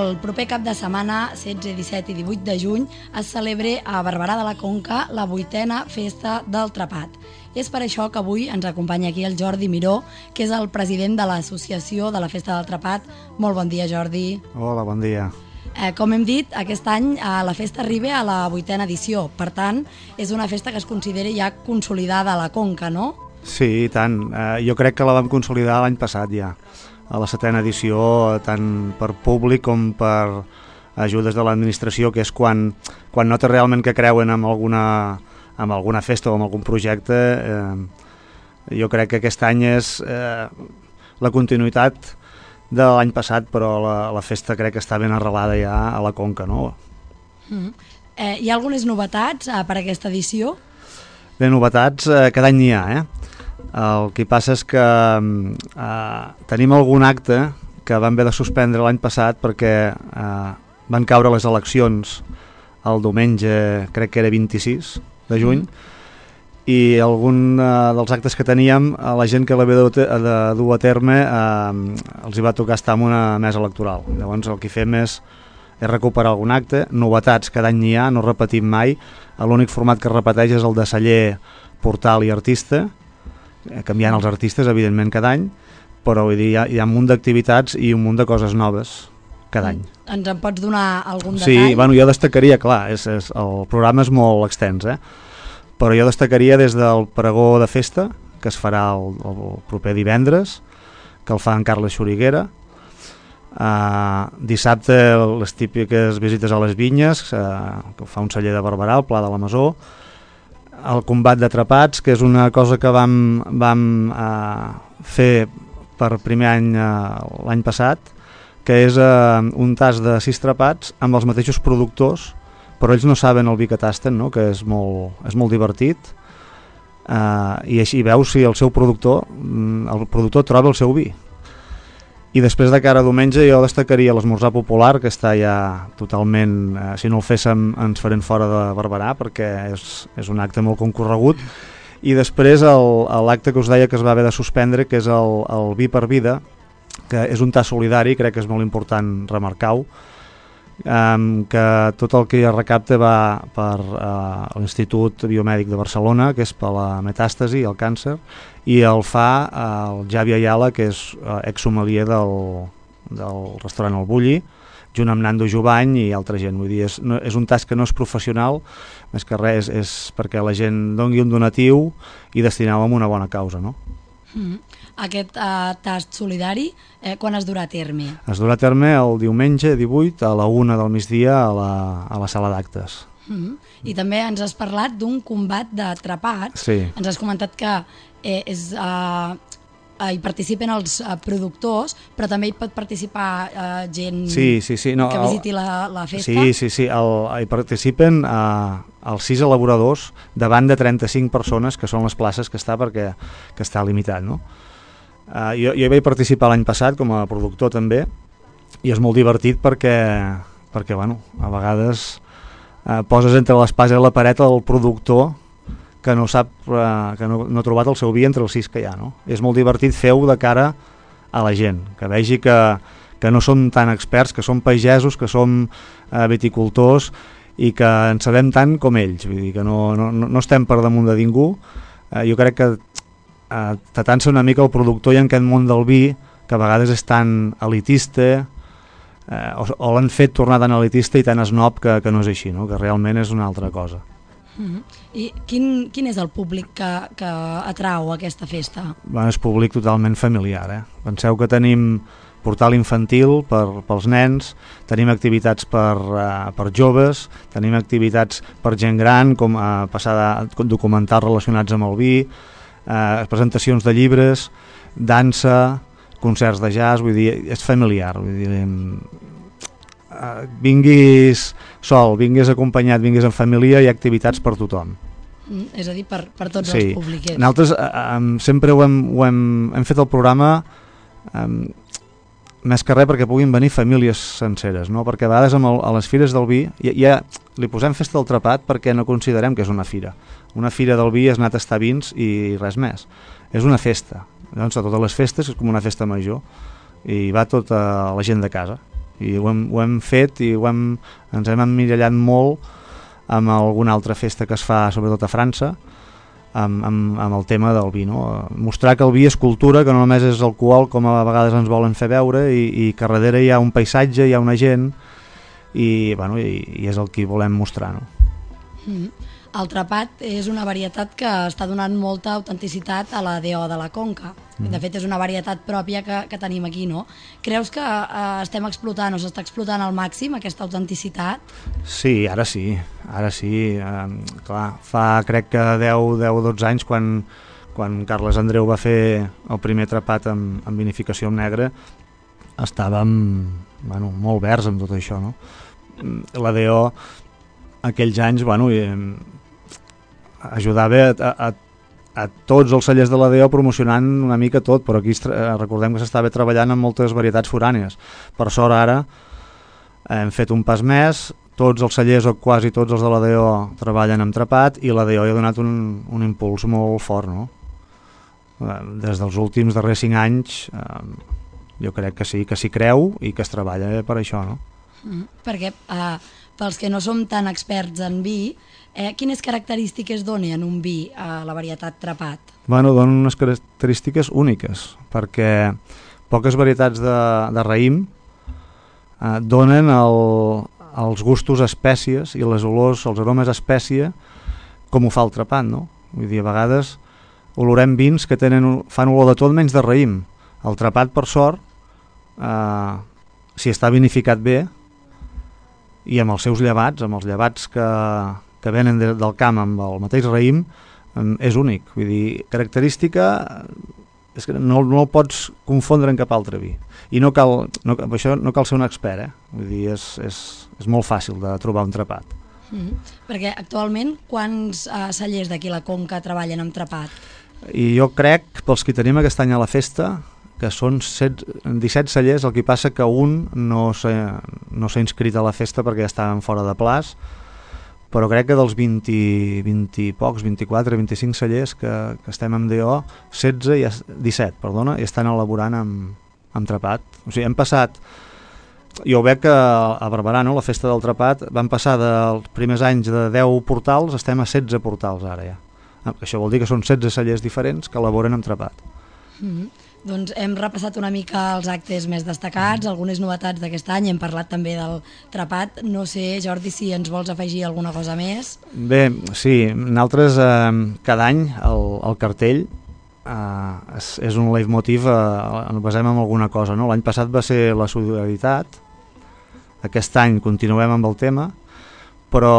el proper cap de setmana, 16, 17 i 18 de juny, es celebre a Barberà de la Conca la 8a Festa del Trepat. És per això que avui ens acompanya aquí el Jordi Miró, que és el president de l'Associació de la Festa del Trepat. Molt bon dia, Jordi. Hola, bon dia. Com hem dit, aquest any la festa arriba a la 8a edició. Per tant, és una festa que es considera ja consolidada a la Conca, no? Sí, i tant. Jo crec que la vam consolidar l'any passat ja, a la 7a edició, tant per públic com per ajudes de l'administració, que és quan nota realment que creuen en alguna festa o en algun projecte. Jo crec que aquest any és la continuïtat de l'any passat, però la festa crec que està ben arrelada ja a la Conca, no? Hi ha algunes novetats per aquesta edició? Bé, novetats cada any n'hi ha, El que passa és que tenim algun acte que vam haver de suspendre l'any passat perquè van caure les eleccions el diumenge, crec que era 26 de juny, i algun dels actes que teníem, a la gent que l'havia de dur a terme els hi va tocar estar en una mesa electoral. Llavors el que fem és recuperar algun acte, novetats cada any n'hi ha, no repetim mai. L'únic format que es repeteix és el de celler, portal i artista, canviant els artistes evidentment cada any, però vull dir, hi ha un munt d'activitats i un munt de coses noves cada any. Ens en pots donar algun detall? Sí, bueno, jo destacaria, clar, el programa és molt extens, però jo destacaria des del pregó de festa, que es farà el proper divendres, que el fa en Carles Xuriguera. Dissabte les típiques visites a les vinyes, que fa un celler de Barberà, al Pla de la Masó. El combat d'atrapats, que és una cosa que vam fer per primer any l'any passat, que és un tas de 6 trapats amb els mateixos productors, però ells no saben el vi que tasten, no? Que és molt divertit, i així veus si el productor troba el seu vi. I després de cara a diumenge jo destacaria l'esmorzar popular, que està ja totalment, si no el féssim ens farem fora de Barberà, perquè és un acte molt concorregut. I després l'acte que us deia que es va haver de suspendre, que és el vi per vida, que és un tas solidari, crec que és molt important remarcar-ho, que tot el que es recapta va per l'Institut Biomèdic de Barcelona, que és per la metàstasi, el càncer, i el fa el Javi Ayala, que és ex-sommelier del restaurant El Bulli, junt amb Nando Jubany i altra gent. Vull dir, és un tas que no és professional, més que res és perquè la gent doni un donatiu i destinar-ho a una bona causa, no? Aquest tast solidari, quan es durà a terme? Es durà a terme el diumenge 18 a la 1 del migdia a la sala d'actes. I també ens has parlat d'un combat d'atrapats. Sí. Ens has comentat que hi participen els productors, però també hi pot participar gent que visiti la festa? Sí, hi participen els 6 elaboradors davant de 35 persones, que són les places que està limitat, no? Jo hi vaig participar l'any passat com a productor també, i és molt divertit perquè bueno, a vegades poses entre l'espasa i la paret el productor que no sap, que no ha trobat el seu vi entre els 6 que hi ha, no? És molt divertit fer-ho de cara a la gent, que vegi que no som tan experts, que som pagesos, que som viticultors i que en sabem tant com ells, vull dir que no estem per damunt de ningú. Jo crec que t'atansa una mica el productor i en aquest món del vi, que a vegades és tan elitista, o l'han fet tornar tan elitista i tan esnob que no és així, no? Que realment és una altra cosa. I quin és el públic que atrau aquesta festa? És públic totalment familiar. Penseu que tenim portal infantil pels nens, tenim activitats per joves, tenim activitats per gent gran, com passar documentals relacionats amb el vi, presentacions de llibres, dansa, concerts de jazz, vull dir, és familiar, vull dir, vinguis sol, vinguis acompanyat, vinguis en família, hi ha activitats per tothom. És a dir, per tots els públics. Nosaltres sempre hem fet el programa més que res perquè puguin venir famílies senceres, no? Perquè a vegades a les fires del vi ja li posem festa del trepat perquè no considerem que és una fira. Una fira del vi és anar a tastar vins i res més. És una festa. Llavors, a totes les festes és com una festa major i va tota la gent de casa. i ho hem fet i ens hem emmirallat molt amb alguna altra festa que es fa sobretot a França amb el tema del vi, no? Mostrar que el vi és cultura, que no només és alcohol com a vegades ens volen fer veure, i que darrere hi ha un paisatge, hi ha una gent i és el que volem mostrar, no? El trapat és una varietat que està donant molta autenticitat a la DO de la Conca. De fet, és una varietat pròpia que tenim aquí, no? Creus que estem explotant o s'està explotant al màxim aquesta autenticitat? Sí, ara sí. Clar, fa crec que 10-12 anys quan Carles Andreu va fer el primer trapat amb vinificació amb negre, estàvem molt verds amb tot això, no? La DO aquells anys ajudava a tots els cellers de la DO promocionant una mica tot, però aquí recordem que s'estava treballant en moltes varietats forànies. Per sort ara hem fet un pas més, tots els cellers o quasi tots els de la DO treballen amb trapat i la DO hi ha donat un impuls molt fort, no? Des dels últims darrers 5 anys jo crec que sí, que s'hi creu i que es treballa per això, no? Perquè pels que no som tan experts en vi, quines característiques dona en un vi a la varietat trapat? Donen unes característiques úniques, perquè poques varietats de raïm donen els gustos espècies i les olors, els aromes espècia, com ho fa el trapat, no? Vull dir, a vegades olorem vins que fan olor de tot menys de raïm. El trapat, per sort, si està vinificat bé, i amb els seus llevats, amb els llevats que venen del camp amb el mateix raïm, és únic. Vull dir, característica és que no el pots confondre en cap altre vi. I això no cal ser un expert, Vull dir, és molt fàcil de trobar un trapat. Perquè actualment quants cellers d'aquí la Conca treballen amb trapat? I jo crec, pels que tenim aquest any a la festa, que són 17 cellers, el que passa que un no s'ha inscrit a la festa perquè ja estaven fora de plaç, però crec que dels 20 i pocs, 24, 25 cellers que estem amb DO, 17 i estan elaborant amb trapat. O sigui, hem passat, jo ho veig que a Barberà, no, la festa del trapat, van passar dels primers anys de 10 portals, estem a 16 portals ara ja. Això vol dir que són 16 cellers diferents que elaboren amb trapat. Doncs hem repassat una mica els actes més destacats, algunes novetats d'aquest any, hem parlat també del trapat. No sé, Jordi, si ens vols afegir alguna cosa més? Bé, sí, nosaltres cada any el cartell és un leitmotiv, ens basem en alguna cosa, no? L'any passat va ser la solidaritat, aquest any continuem amb el tema, però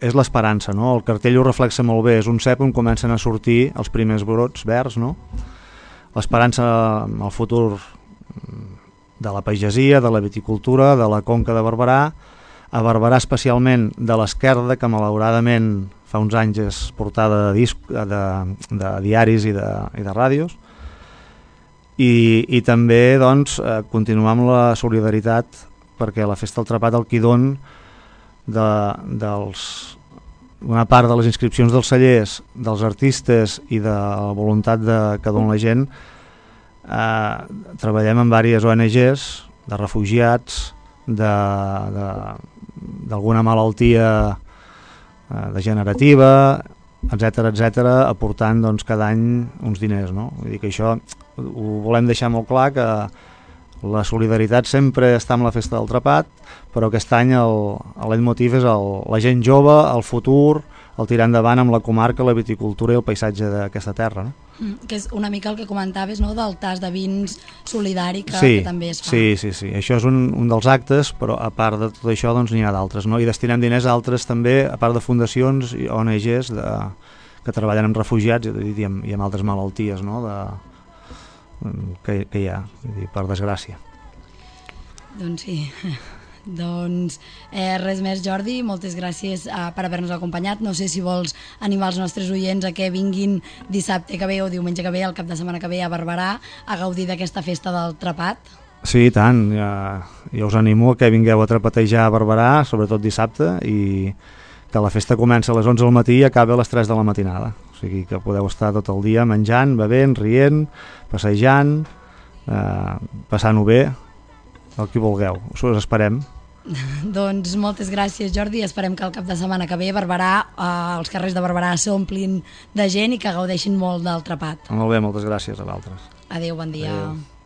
és l'esperança, no? El cartell ho reflexa molt bé, és un cep on comencen a sortir els primers brots verds, no? L'esperança en el futur de la pagesia, de la viticultura, de la Conca de Barberà, a Barberà especialment de l'Esquerda, que malauradament fa uns anys és portada de diaris i de ràdios, i també doncs, continuar amb la solidaritat, perquè la Festa del Trapat el qui don una part de les inscripcions dels cellers, dels artistes i de la voluntat que dona la gent. Treballem amb diverses ONGs de refugiats, d'alguna malaltia degenerativa, etc, aportant doncs, cada any uns diners, no? Vull dir que això ho volem deixar molt clar, que la solidaritat sempre està amb la Festa del Trapat, però aquest any el leitmotiv és la gent jove, el futur, el tirar endavant amb la comarca, la viticultura i el paisatge d'aquesta terra, no? Que és una mica el que comentaves, no?, del tas de vins solidari que també es fa. Sí, això és un dels actes, però a part de tot això doncs n'hi ha d'altres, no? I destinem diners a altres també, a part de fundacions i ONGs que treballen amb refugiats i amb altres malalties, no?, que hi ha, per desgràcia. Doncs sí. Doncs res més, Jordi, moltes gràcies per haver-nos acompanyat. No sé si vols animar els nostres oients a que vinguin dissabte que ve o diumenge que ve, el cap de setmana que ve a Barberà, a gaudir d'aquesta festa del trapat. Sí, i tant, jo us animo a que vingueu a trapatejar a Barberà, sobretot dissabte, i que la festa comença a les 11 del matí i acaba a les 3 de la matinada. O sigui que podeu estar tot el dia menjant, bevent, rient, passejant, passant-ho bé, el que vulgueu, us esperem. Doncs moltes gràcies, Jordi, esperem que el cap de setmana que ve Barberà, els carrers de Barberà s'omplin de gent i que gaudeixin molt del trapat. Molt bé, moltes gràcies a vosaltres. Adéu, bon dia. Adéu.